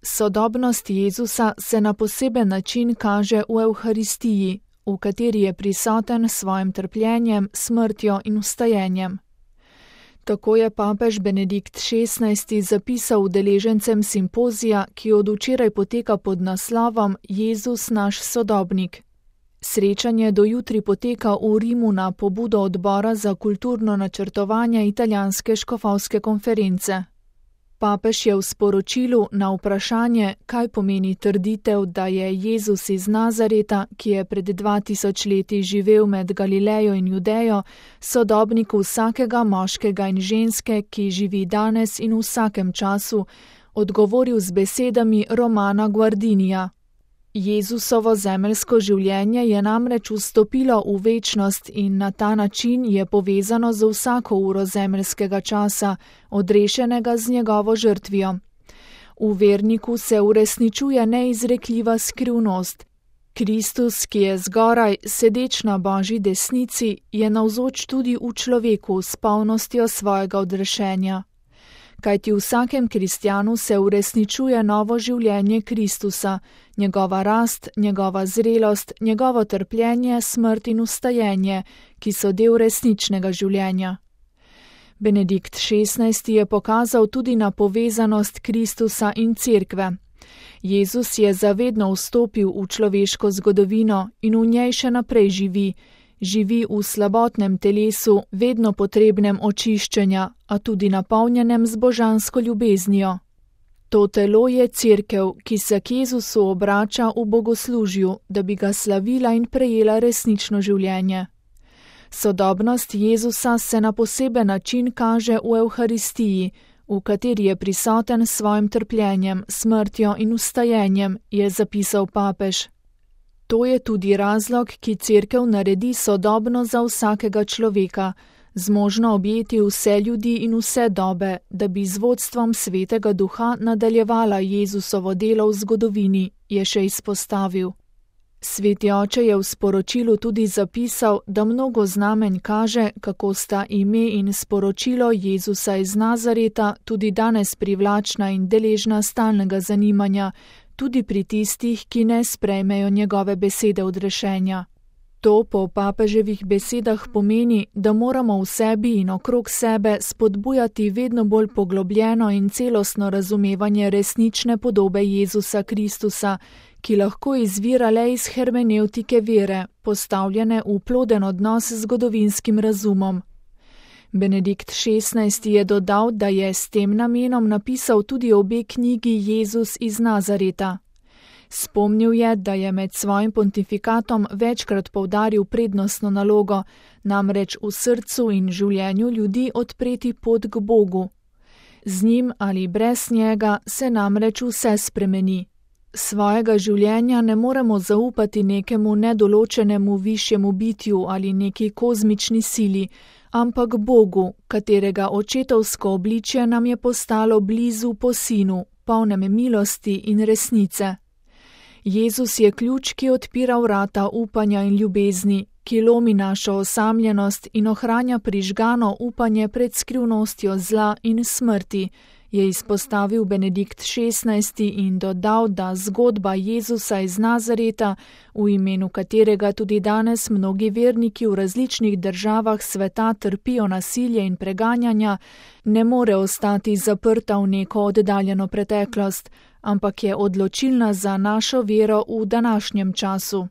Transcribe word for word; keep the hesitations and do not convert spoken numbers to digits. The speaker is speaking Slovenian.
Sodobnost Jezusa se na poseben način kaže v Evharistiji, v kateri je prisoten s svojim trpljenjem, smrtjo in vstajenjem. Tako je papež Benedikt šestnajsti zapisal udeležencem simpozija, ki od včeraj poteka pod naslovom Jezus naš sodobnik. Srečanje do jutri poteka v Rimu na pobudo odbora za kulturno načrtovanje italijanske škofovske konference. Papež je v sporočilu na vprašanje, kaj pomeni trditev, da je Jezus iz Nazareta, ki je pred dva tisoč leti živel med Galilejo in Judejo, sodobnik vsakega moškega in ženske, ki živi danes in v vsakem času, odgovoril z besedami Romana Guardinija. Jezusovo zemeljsko življenje je namreč vstopilo v večnost in na ta način je povezano z vsako uro zemeljskega časa, odrešenega z njegovo žrtvijo. V verniku se uresničuje neizrekljiva skrivnost. Kristus, ki je zgoraj, sedeč na Božji desnici, je navzoč tudi v človeku s polnostjo svojega odrešenja. Kajti v vsakem kristjanu se uresničuje novo življenje Kristusa, njegova rast, njegova zrelost, njegovo trpljenje, smrt in vstajenje, ki so del resničnega življenja. Benedikt šestnajsti je pokazal tudi na povezanost Kristusa in Cerkve. Jezus je zavedno vstopil v človeško zgodovino in v njej še naprej živi, živi v slabotnem telesu, vedno potrebnem očiščenja, a tudi napolnjenem z božansko ljubeznijo. To telo je Cerkev, ki se k Jezusu obrača v bogoslužju, da bi ga slavila in prejela resnično življenje. Sodobnost Jezusa se na poseben način kaže v Evharistiji, v kateri je prisoten s svojim trpljenjem, smrtjo in vstajenjem, je zapisal papež. To je tudi razlog, ki Cerkev naredi sodobno za vsakega človeka, zmožno objeti vse ljudi in vse dobe, da bi z vodstvom Svetega Duha nadaljevala Jezusovo delo v zgodovini, je še izpostavil. Sveti oče je v sporočilu tudi zapisal, da mnogo znamenj kaže, kako sta ime in sporočilo Jezusa iz Nazareta tudi danes privlačna in deležna stalnega zanimanja, tudi pri tistih, ki ne sprejmejo njegove besede odrešenja. To po papeževih besedah pomeni, da moramo v sebi in okrog sebe spodbujati vedno bolj poglobljeno in celostno razumevanje resnične podobe Jezusa Kristusa, ki lahko izvira le iz hermenevtike vere, postavljene v ploden odnos z zgodovinskim razumom. Benedikt šestnajsti je dodal, da je s tem namenom napisal tudi obe knjigi Jezus iz Nazareta. Spomnil je, da je med svojim pontifikatom večkrat poudaril prednostno nalogo, namreč v srcu in življenju ljudi odpreti pot k Bogu. Z njim ali brez njega se namreč vse spremeni. Svojega življenja ne moremo zaupati nekemu nedoločenemu višjemu bitju ali neki kozmični sili, ampak Bogu, katerega očetovsko obličje nam je postalo blizu po Sinu, polnem milosti in resnice. Jezus je ključ, ki odpira vrata upanja in ljubezni, ki lomi našo osamljenost in ohranja prižgano upanje pred skrivnostjo zla in smrti, je izpostavil Benedikt šestnajsti in dodal, da zgodba Jezusa iz Nazareta, v imenu katerega tudi danes mnogi verniki v različnih državah sveta trpijo nasilje in preganjanja, ne more ostati zaprta v neko oddaljeno preteklost, ampak je odločilna za našo vero v današnjem času.